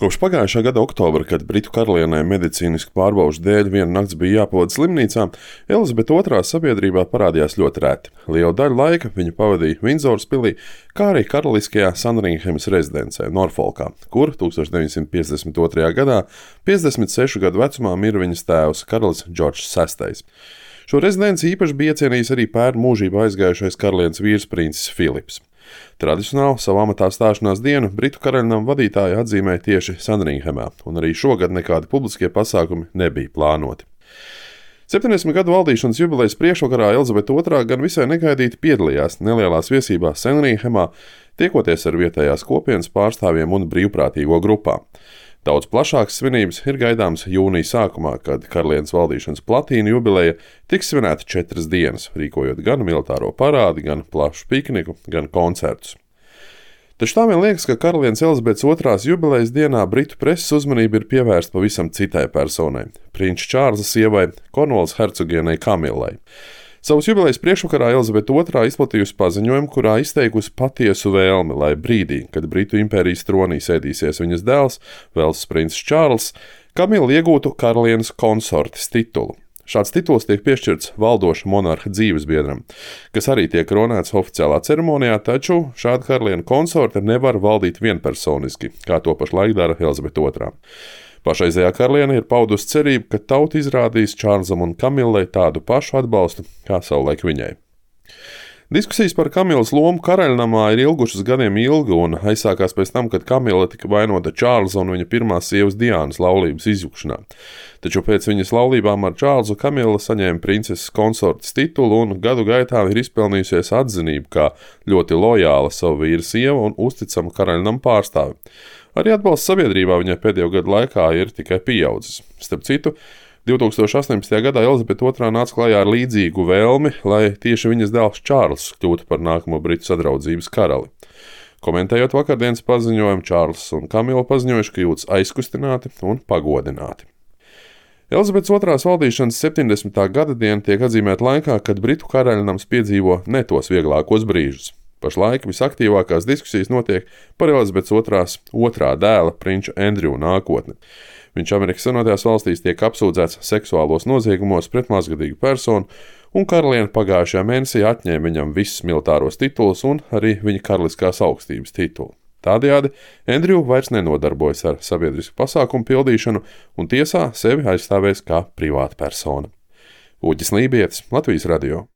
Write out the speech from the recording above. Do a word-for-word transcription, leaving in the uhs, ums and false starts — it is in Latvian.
Kopš pagājušā gada oktobra, kad britu karalienei medicīnisku pārbaužu dēļ viena nakts bija jāpavada slimnīcā, Elizabete otrā sabiedrībā parādījās ļoti reti. Lielu daļu laika viņa pavadīja Vindzoras pilī, kā arī karaliskajā Sandringhemas rezidencē Norfolkā, kur tūkstoš deviņsimt piecdesmit otrajā gadā piecdesmit sešu gadu vecumā mira viņas tēvs, karalis Džordžs sestais. Šo rezidenci īpaši bija iecienījis arī pērn mūžībā aizgājušais karalienes vīrs princis Filips. Tradicionāli savu amatā stāšanās dienu britu karaļnama vadītāji atzīmēja tieši Sandringhemā, un arī šogad nekādi publiskie pasākumi nebija plānoti. septiņdesmit gadu valdīšanas jubilejas priekšvakarā Elizabete otrā gan visai negaidīti piedalījās nelielās viesībās Sandringhemā, tiekoties ar vietējās kopienas pārstāvjiem un brīvprātīgo grupām. Daudz plašākas svinības ir gaidāmas jūnija sākumā, kad karalienes valdīšanas platīna jubileja tiks svinēta četras dienas, rīkojot gan militāro parādi, gan plašu pikniku, gan koncertus. Taču tā vien liekas, ka karalienes Elizabetes otrās jubilejas dienā britu preses uzmanība ir pievērsta pavisam citai personai – prinča Čārlza sievai, Kornvalas hercogienei Kamilai. Savas jubilejas priekšvakarā Elizabete otrā izplatījusi paziņojumu, kurā izteikusi patiesu vēlmi, lai brīdī, kad Britu impērijas tronī sēdīsies viņas dēls, Velsas princis Čārls, Kamila iegūtu karalienes konsortes titulu. Šāds tituls tiek piešķirts valdoša monarha dzīvesbiedram, kas arī tiek koronēts oficiālā ceremonijā, taču šāda karaliene konsorte nevar valdīt vienpersoniski, kā to pašlaik dara Elizabete otrā. Pašreizējā karaliene ir paudusi cerību, ka tauta izrādīs Čārlzam un Kamilai tādu pašu atbalstu, kā savulaik viņai. Diskusijas par Kamilas lomu karaļnamā ir ilgušas gadiem ilgi un aizsākās pēc tam, kad Kamila tika vainota Čārlza un viņa pirmās sievas Diānas laulības izjukšanā. Taču pēc viņas laulībām ar Čārlzu Kamila saņēma princeses konsortes titulu un gadu gaitā ir izpelnījusies atzinību kā ļoti lojāla savu vīra sieva un uzticama karaļnama pārstāve. Arī atbalsts sabiedrībā viņai pēdējo gadu laikā ir tikai pieaudzis. Starp citu, divtūkstoš astoņpadsmitajā gadā Elizabete otrā nāca klajā ar līdzīgu vēlmi, lai tieši viņas dēls Čārls kļūtu par nākamo britu sadraudzības karali. Komentējot vakardienas paziņojumu, Čārls un Kamila paziņojuši, ka jūtas aizkustināti un pagodināti. Elizabetes otrās valdīšanas septiņdesmitā gada diena tiek atzīmēta laikā, kad britu karaļnams piedzīvo ne tos vieglākos brīžus. Pašlaik visaktīvākās diskusijas notiek par Elizabetes otrās otrā dēla prinča Andriju nākotni. Viņš Amerikas Savienotajās valstīs tiek apsūdzēts seksuālos noziegumos pret mazgadīgu personu, un karaliene pagājušajā mēnesī atņēma viņam visus militāros titulus un arī viņa karaliskās augstības titulu. Tādējādi Andriju vairs nenodarbojas ar sabiedrisku pasākumu pildīšanu un tiesā sevi aizstāvēs kā privāta persona. Uģis Lībietis, Latvijas radio.